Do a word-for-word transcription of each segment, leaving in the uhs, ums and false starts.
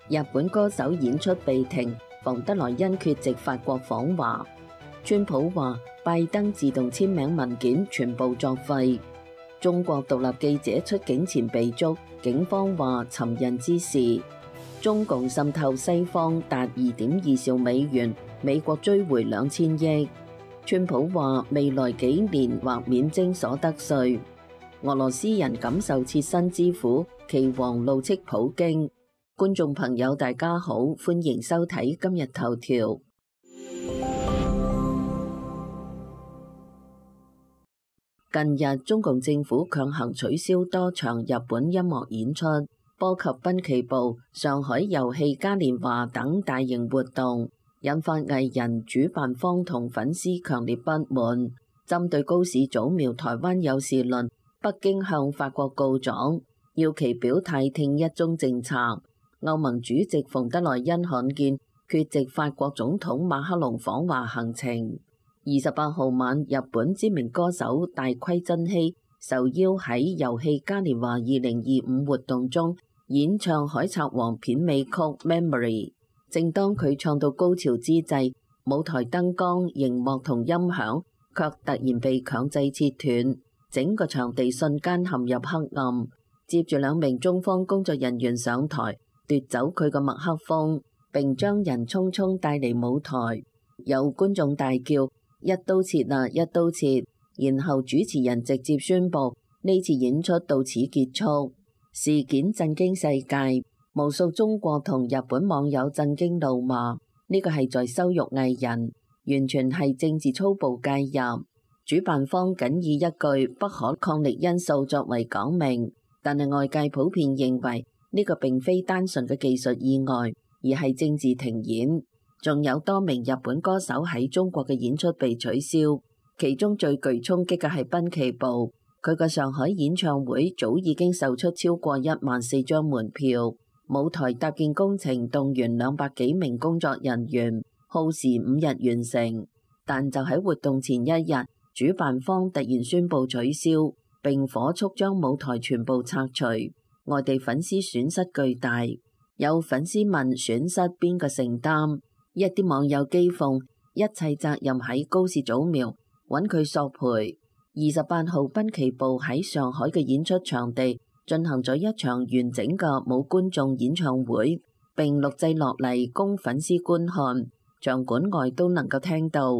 日本歌手演出被停，馮德萊恩缺席法國訪華。川普話拜登自動簽名文件全部作廢。中國獨立記者出境前被捉，警方話尋釁滋事。中共滲透西方達二點二兆美元，美國追回兩千億。川普話未來幾年或免徵所得稅。俄羅斯人感受切身之苦，棋王怒斥普京。觀眾朋友大家好，歡迎收睇今日頭條。近日中共政府強行取消多場日本音樂演出，波及濱崎步、上海遊戲嘉年華等大型活動，引發藝人、主辦方同粉絲強烈不滿。針對高市早苗台灣有事論，北京向法國告狀，要其表態聽一中政策。歐盟主席馮德萊恩罕見缺席法國總統馬克龍訪華行程。二十八號晚，日本知名歌手大龜真希受邀喺遊戲嘉年華二零二五活動中演唱《海賊王》片尾曲《Memory》。正當佢唱到高潮之際，舞台燈光、熒幕同音響卻突然被強制切斷，整個場地瞬間陷入黑暗。接住兩名中方工作人員上台，奪走佢個麥克風，並將人匆匆帶離舞台。有觀眾大叫：一刀切啊，一刀切！然後主持人直接宣布呢次演出到此結束。事件震驚世界，無數中國同日本網友震驚怒罵，呢個係在羞辱藝人，完全係政治粗暴介入。主辦方僅以一句不可抗力因素作為講明，但係外界普遍認為呢個並非單純嘅技術意外，而係政治停演。仲有多名日本歌手喺中國嘅演出被取消，其中最具衝擊嘅係濱崎步，佢嘅上海演唱會早已經售出超過一萬四張門票，舞台搭建工程動員兩百幾名工作人員，耗時五日完成。但就喺活動前一日，主辦方突然宣布取消，並火速將舞台全部拆除，外地粉絲損失巨大。有粉絲問損失邊個承擔？一啲網友譏諷一切責任喺高市早苗，揾佢索賠。二十八號濱崎步喺上海嘅演出場地進行咗一場完整嘅冇觀眾演唱會，並錄製落嚟供粉絲觀看，場館外都能夠聽到。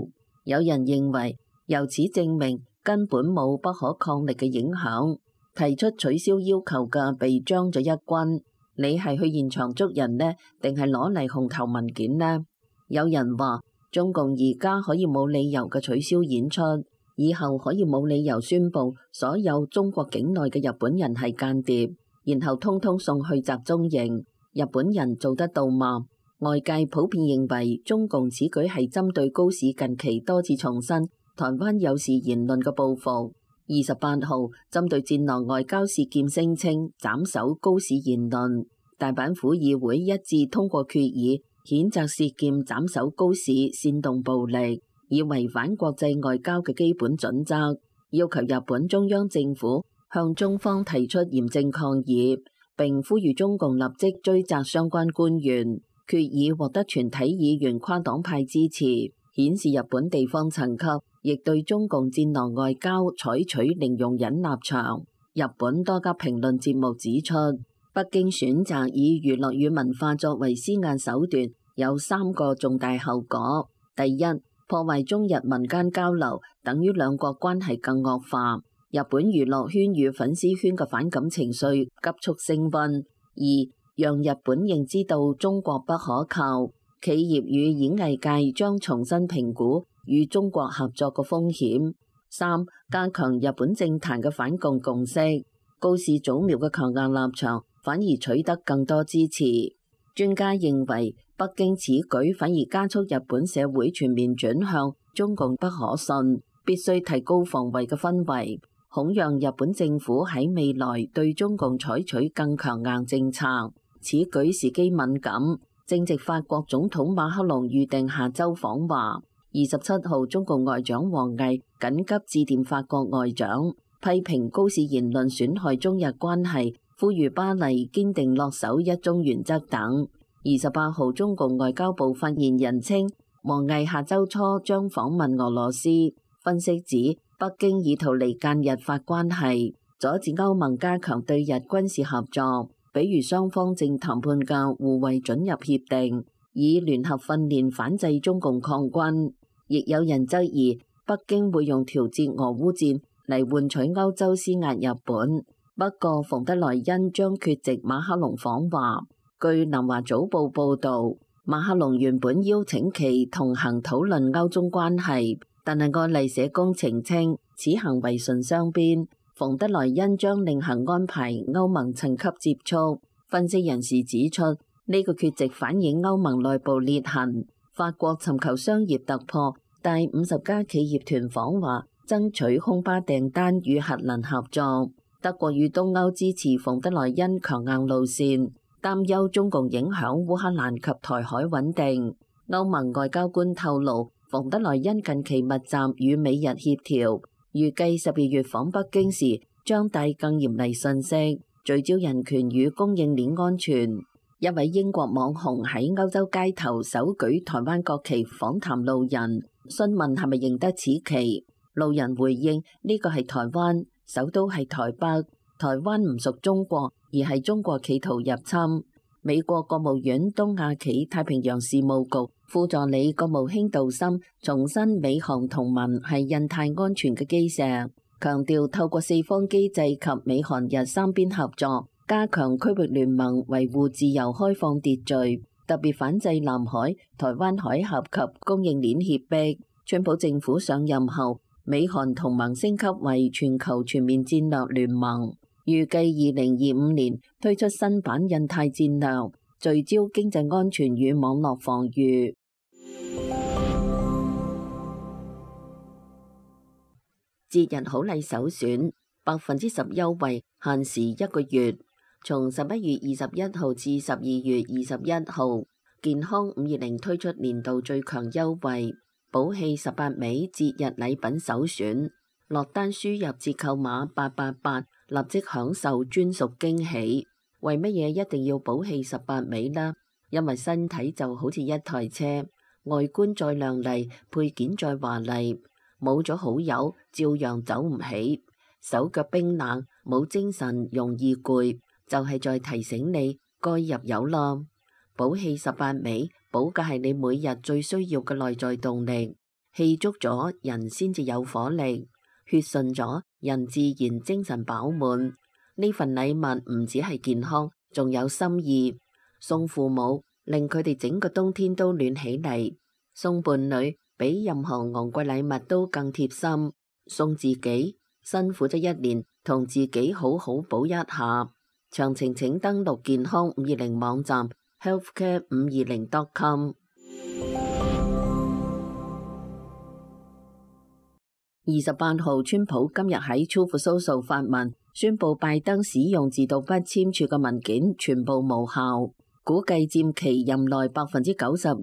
有人認為由此證明根本冇不可抗力嘅影響，提出取消要求嘅被將咗一軍。你係去現場捉人呢，定係攞嚟紅頭文件呢？有人話中共而家可以冇理由嘅取消演出，以後可以冇理由宣布所有中國境內嘅日本人係間諜，然後通通送去集中營。日本人做得到嗎？外界普遍認為中共此舉係針對高市近期多次重申台灣有事言論嘅報復。二十八號針對戰狼外交事件聲稱斬首高市言論，大阪府議會一致通過決議，譴責事件斬首高市煽動暴力，以違反國際外交嘅基本準則，要求日本中央政府向中方提出嚴正抗議，並呼籲中共立即追責相關官員。決議獲得全體議員跨黨派支持，顯示日本地方層級亦對中共戰狼外交採取零容忍立場。日本多家評論節目指出，北京選擇以娛樂與文化作為施壓手段，有三個重大後果。第一，破壞中日民間交流，等於兩國關係更惡化。日本娛樂圈與粉絲圈嘅反感情緒急速升溫。二，讓日本認知到中國不可靠，企業與演藝界將重新評估與中國合作嘅風險。三，加強日本政壇嘅反共共識。高市早苗嘅強硬立場反而取得更多支持。專家認為，北京此舉反而加速日本社會全面轉向中共不可信，必須提高防衛嘅氛圍，恐讓日本政府喺未來對中共採取更強硬政策。此舉時機敏感，正值法國總統馬克龍預定下周訪華。二十七號，中共外長王毅緊急致電法國外長，批評高市言論損害中日關係，呼籲巴黎堅定落守一中原則等。二十八號，中共外交部發言人稱，王毅下週初將訪問俄羅斯。分析指，北京意圖離間日法關係，阻止歐盟加強對日軍事合作，比如雙方正談判嘅互惠准入協定，以聯合訓練反制中共抗軍。亦有人質疑，北京會用調節俄烏戰嚟換取歐洲施壓日本。不過，馮德萊恩將缺席馬克龍訪華。據南華早報報導，馬克龍原本邀請其同行討論歐中關係，但係愛麗舍宮澄清此行為順雙邊。馮德萊恩將另行安排歐盟層級接觸。分析人士指出，呢個缺席反映歐盟內部裂痕。法國尋求商業突破，帶五十家企業團訪華，爭取空巴訂單與核能合作。德國與東歐支持馮德萊恩強硬路線，擔憂中共影響烏克蘭及台海穩定。歐盟外交官透露，馮德萊恩近期密集與美日協調，預計十二月訪北京時將帶更嚴厲訊息，聚焦人權與供應鏈安全。一位英國網紅喺歐洲街頭手舉台灣國旗訪談路人，詢問係咪認得此旗。路人回應：呢個係台灣。首都係台北，台灣唔屬中國，而係中國企圖入侵。美國國務院東亞企太平洋事務局副助理國務卿杜森重申美韓同盟係印太安全嘅基石，強調透過四方機制及美韓日三邊合作，加強區域聯盟，維護自由開放秩序，特別反制南海、台灣海峽及供應鏈脅迫。川普政府上任後，美韓同盟升級為全球全面戰略聯盟，預計二零二五年推出新版印太戰略，聚焦經濟安全與網絡防禦。節日好禮首選，百分之十優惠，限時一個月，從十一月二十一號至十二月二十一號，健康五二零推出年度最強優惠。寶氣十八味節日禮品首選，落單輸入折扣碼八八八，立即享受專屬驚喜。為乜嘢一定要寶氣十八味呢？因為身體就好似一台車，外觀再亮麗，配件再華麗，冇咗好友照樣走唔起，手腳冰冷，冇精神，容易攰，就係在提醒你該入油啦。寶氣十八味，補嘅係你每日最需要嘅內在動力，氣足咗人先至有火力，血順咗人自然精神飽滿。呢份禮物唔止係健康，仲有心意。送父母，令佢哋整個冬天都暖起嚟；送伴侶，比任何昂貴禮物都更貼心；送自己，辛苦咗一年，同自己好好補一下。詳情請登錄健康五二零網站。healthcare 五二零 dot com。 二十八號，川普今日喺 Truth Social 發文，宣布拜登使用自動筆簽署嘅文件全部無效，估計佔其任內百分之九十二，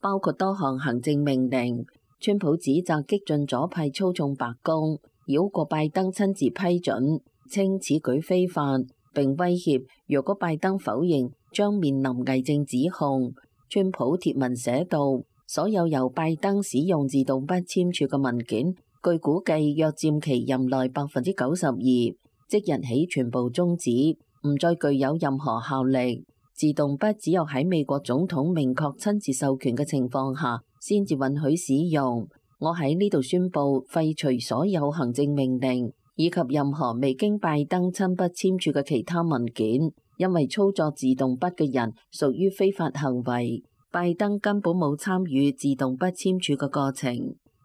包括多項行政命令。川普指責激進左派操縱白宮，繞過拜登親自批准，稱此舉非法，並威脅若果拜登否認，將面臨偽證指控。川普貼文寫道：所有由拜登使用自動筆簽署嘅文件，據估計約佔其任內百分之九十二，即日起全部終止，唔再具有任何效力。自動筆只有喺美國總統明確親自授權嘅情況下，先至允許使用。我喺呢度宣布廢除所有行政命令，以及任何未經拜登親筆簽署嘅其他文件。因為操作自動筆嘅人屬於非法行為，拜登根本冇參與自動筆簽署嘅過程。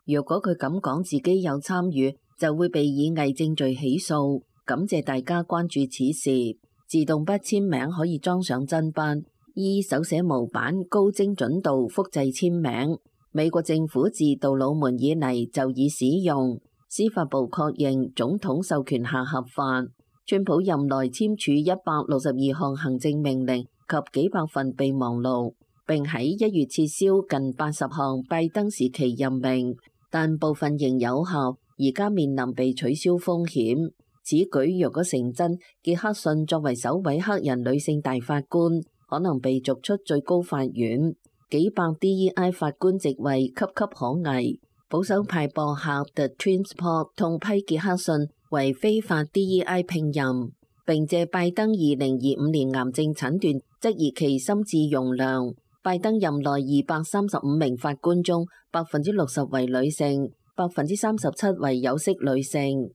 如果佢咁講自己有參與，就會被以偽證罪起訴。感謝大家關注此事。自動筆簽名可以裝上真筆，依手寫模板高精準度複製簽名。美國政府自杜魯門以嚟就已使用，司法部確認總統授權下合法。川普任內簽署一百六十二項行政命令及幾百份備忘錄，並喺一月撤銷近八十項拜登時期任命，但部分仍有效，而家面臨被取消風險。此舉若果成真，傑克遜作為首位黑人女性大法官，可能被逐出最高法院。幾百 D E I 法官席位岌岌可危。保守派播客 The Transport 痛批傑克遜為非法 D E I 聘任，並借拜登二零二五年癌症診斷質疑其心智容量。拜登任內二百三十五名法官中，百分之六十為女性，百分之三十七為有色女性。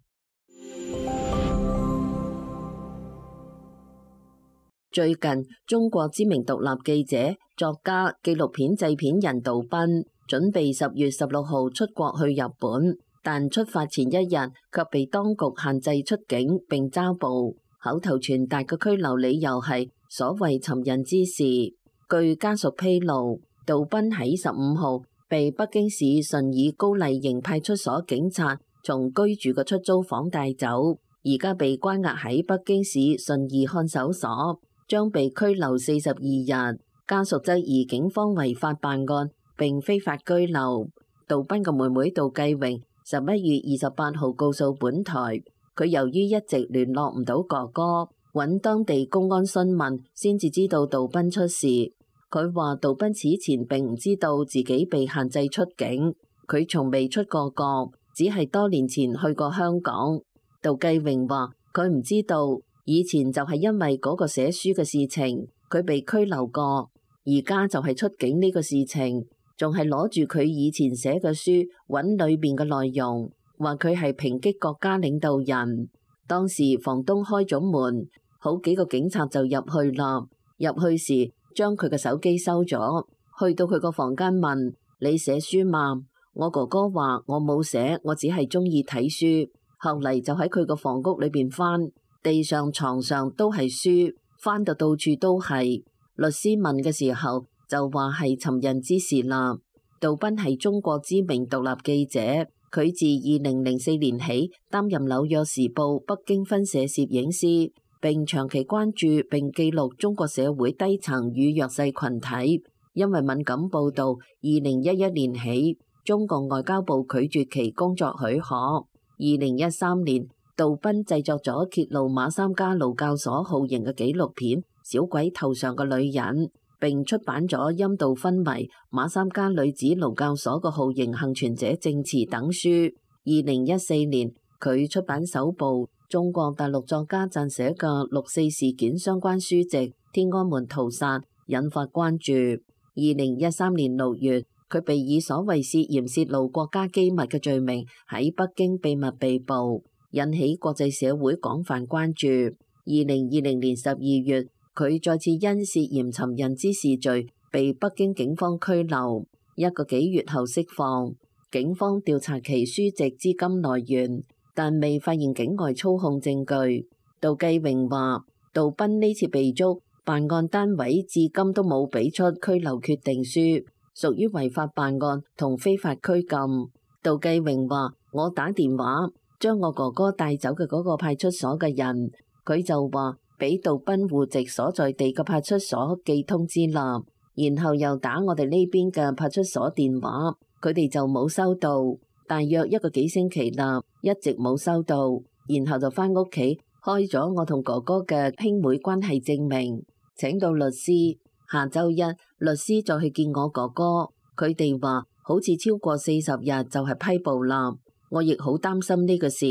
最近，中國知名獨立記者、作家、紀錄片製片人杜斌準備十月十六號出國去日本，但出發前一日卻被當局限制出境並抓捕。口頭傳達嘅拘留理由係所謂尋釁滋事。據家屬披露，杜斌喺十五號被北京市順義高麗營派出所警察從居住嘅出租房帶走，而家被關押喺北京市順義看守所，將被拘留四十二日。家屬質疑警方違法辦案並非法拘留。杜斌嘅妹妹杜繼榮十一月二十八號告訴本台，佢由於一直聯絡唔到哥哥，揾當地公安詢問，先至知道杜斌出事。佢話杜斌此前並唔知道自己被限制出境，佢從未出過國，只係多年前去過香港。杜繼榮話佢唔知道，以前就係因為嗰個寫書嘅事情，佢被拘留過，而家就係出境呢個事情，仲係攞住佢以前寫嘅書揾裏面嘅內容，話佢係抨擊國家領導人。當時房東開咗門，好幾個警察就入去啦，入去時將佢嘅手機收咗，去到佢個房間問你寫書嘛？我哥哥話我冇寫，我只係中意睇書。後嚟就喺佢個房屋裏邊翻，地上床上都係書，翻到到處都係。律師問嘅時候就話係尋釁滋事啦。杜斌係中國知名獨立記者，佢自二零零四年起擔任紐約時報北京分社攝影師，並長期關注並記錄中國社會低層與弱勢群體。因為敏感報導，二零一一年起，中國外交部拒絕其工作許可。二零一三年，杜斌製作咗揭露馬三家勞教所酷刑嘅紀錄片《小鬼頭上嘅女人》，並出版咗《陰道昏迷：馬三家女子勞教所嘅酷刑幸存者證詞》等書。二零一四年，佢出版首部中國大陸作家撰寫嘅六四事件相關書籍《天安門屠殺》，引發關注。二零一三年六月，佢被以所謂涉嫌泄露國家機密嘅罪名喺北京秘密被捕，引起國際社會廣泛關注。二零二零年十二月，佢再次因涉嫌尋釁滋事罪被北京警方拘留，一個幾月後釋放。警方調查其書籍資金來源，但未發現境外操控證據。杜繼榮話，杜斌呢次被捉，辦案單位至今都冇俾出拘留決定書，屬於違法辦案同非法拘禁。杜繼榮話，我打電話將我哥哥帶走嘅嗰個派出所嘅人，佢就話俾杜斌戶籍所在地嘅派出所寄通知啦，然後又打我哋呢邊嘅派出所電話，佢哋就冇收到，大約一個幾星期啦，一直冇收到，然後就返屋企開咗我同哥哥嘅兄妹關係證明，請到律師。下週一，律師再去見我哥哥，佢哋話好似超過四十日就係批捕啦。我亦好擔心呢個事。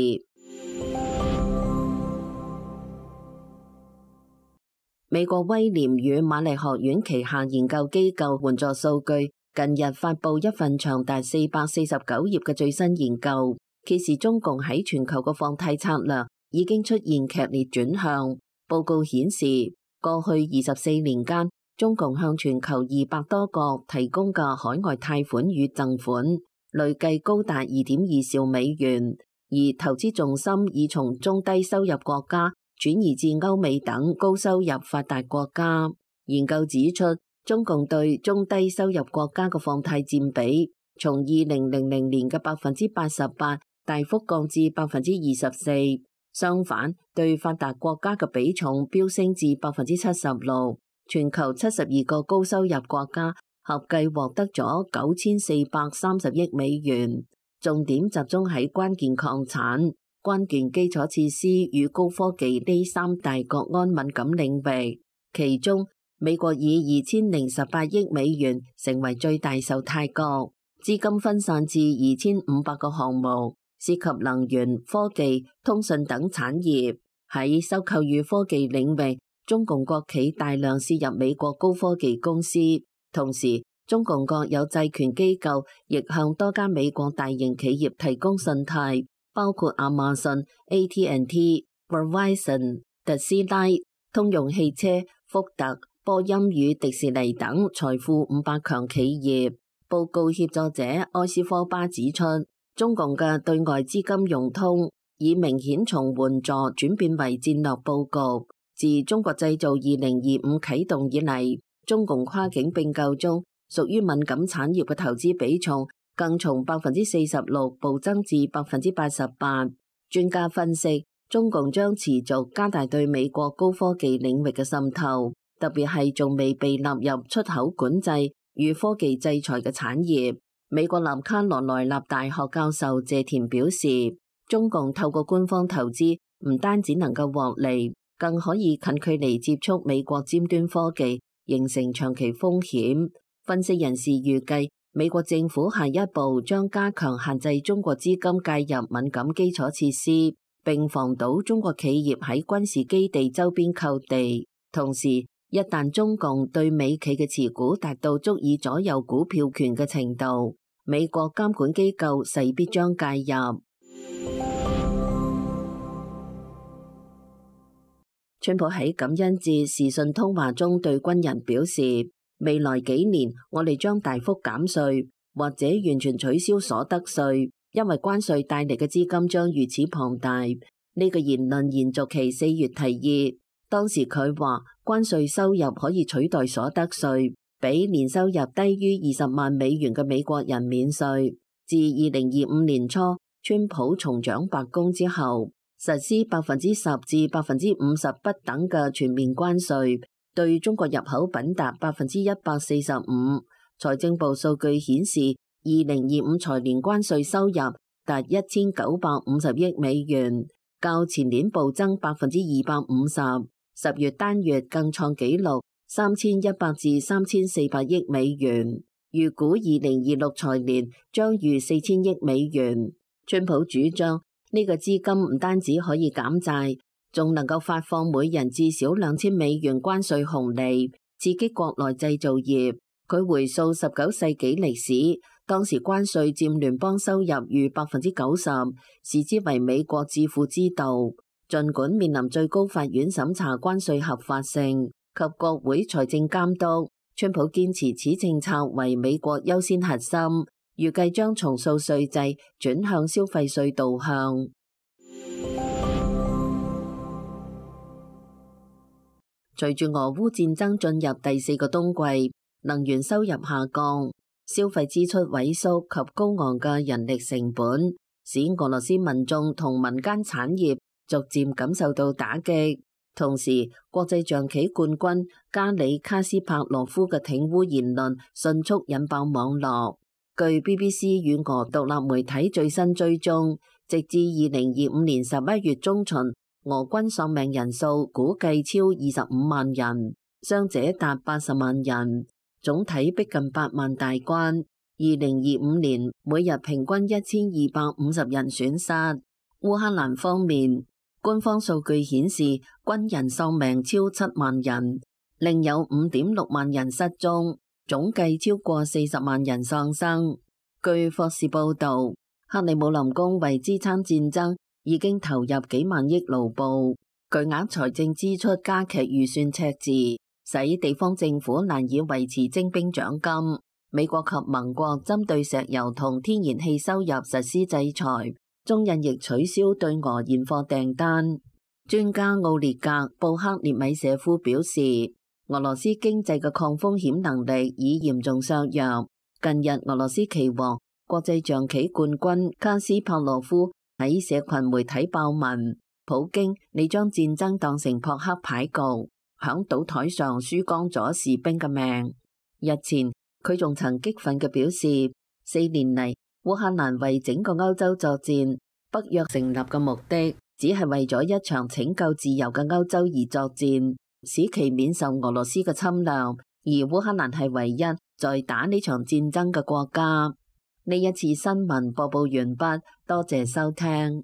美國威廉與瑪麗學院旗下研究機構援助數據近日發布一份長達四百四十九頁嘅最新研究，揭示中共喺全球嘅放貸策略已經出現劇烈轉向。報告顯示，過去二十四年間，中共向全球二百多國提供嘅海外貸款與贈款累計高達二點二兆美元，而投資重心已從中低收入國家轉移至歐美等高收入發達國家。研究指出，中共對中低收入國家嘅放貸佔比從二零零零年嘅百分之八十八大幅降至百分之二十四，相反，對發達國家嘅比重飆升至百分之七十六。全球七十二個高收入國家合計獲得咗九千四百三十億美元，重點集中喺關鍵礦產、關鍵基礎設施與高科技呢三大國安敏感領域。其中，美國以二千零十八億美元成為最大受貸國，資金分散至二千五百個項目，涉及能源、科技、通訊等產業。喺收購與科技領域，中共國企大量涉入美國高科技公司，同時中共國有債權機構亦向多家美國大型企業提供信貸，包括亞馬遜、A T and T、Verizon、特斯拉、通用汽車、福特、波音與迪士尼等財富五百強企業。報告協助者埃斯科巴指出，中共嘅對外資金融通已明顯從援助轉變為戰略佈局。自中國製造二零二五啟動以嚟，中共跨境併購中屬於敏感產業嘅投資比重更從百分之四十六暴增至百分之八十八。專家分析，中共將持續加大對美國高科技領域嘅滲透，特別係仲未被納入出口管制與科技制裁嘅產業。美國南卡羅來納大學教授謝田表示，中共透過官方投資唔單止能夠獲利，更可以近距離接觸美國尖端科技，形成長期風險。分析人士預計，美國政府下一步將加強限制中國資金介入敏感基礎設施，並防堵中國企業喺軍事基地周邊購地。同時，一旦中共對美企嘅持股達到足以左右股票權嘅程度，美國監管機構勢必將介入。川普喺感恩節視訊通話中對軍人表示，未來幾年我哋將大幅減稅，或者完全取消所得稅，因為關稅帶嚟嘅資金將如此龐大。呢個言論延續其四月提議，當時佢話關稅收入可以取代所得稅，俾年收入低於二十萬美元嘅美國人免稅。自二零二五年初川普重掌白宮之後，實施百分之十至百分之五十不等嘅全面關稅，對中國入口品達百分之一百四十五。財政部數據顯示，二零二五財年關稅收入達一千九百五十億美元，較前年暴增百分之二百五十。十月單月更創紀錄三千一百至三千四百億美元，預估二零二六財年將逾四千億美元。川普主張呢個資金唔單止可以減債，仲能夠發放每人至少兩千美元關稅紅利，刺激國內製造業。佢回溯十九世紀歷史，當時關稅佔聯邦收入逾百分之九十，視之為美國致富之道。儘管面臨最高法院審查關稅合法性及國會財政監督，川普堅持此政策為美國優先核心，預計將重塑稅制，轉向消費稅導向。隨住俄烏戰爭進入第四個冬季，能源收入下降，消費支出萎縮及高昂嘅人力成本，使俄羅斯民眾同民間產業逐漸感受到打擊。同時，國際象棋冠軍加里卡斯帕羅夫嘅挺烏言論迅速引爆網絡。據 B B C 與俄獨立媒體最新追蹤，直至二零二五年十一月中旬，俄軍喪命人數估計超二十五萬人，傷者達八十萬人，總體逼近八萬大關。二零二五年每日平均一千二百五十人損失。烏克蘭方面，官方數據顯示軍人喪命超七萬人，另有五點六萬人失蹤，總計超過四十萬人喪生。據霍士報道，克里姆林宮為支撐戰爭已經投入幾萬億盧布，巨額財政支出加劇預算赤字，使地方政府難以維持徵兵獎金。美國及盟國針對石油同天然氣收入實施制裁，中印亦取消對俄現貨訂單。專家奧列格布克列米舍夫表示，俄羅斯經濟嘅抗風險能力已嚴重削弱。近日，俄羅斯棋王、國際象棋冠軍卡斯帕羅夫喺社群媒體爆文：普京，你將戰爭當成撲克牌局，響賭台上輸光咗士兵嘅命。日前，佢仲曾激憤嘅表示，四年嚟烏克蘭為整個歐洲作戰，北約成立嘅目的只係為咗一場拯救自由嘅歐洲而作戰。使其免受俄羅斯嘅侵略，而烏克蘭係唯一在打呢場戰爭嘅國家。呢一次新聞播報完畢，多謝收聽。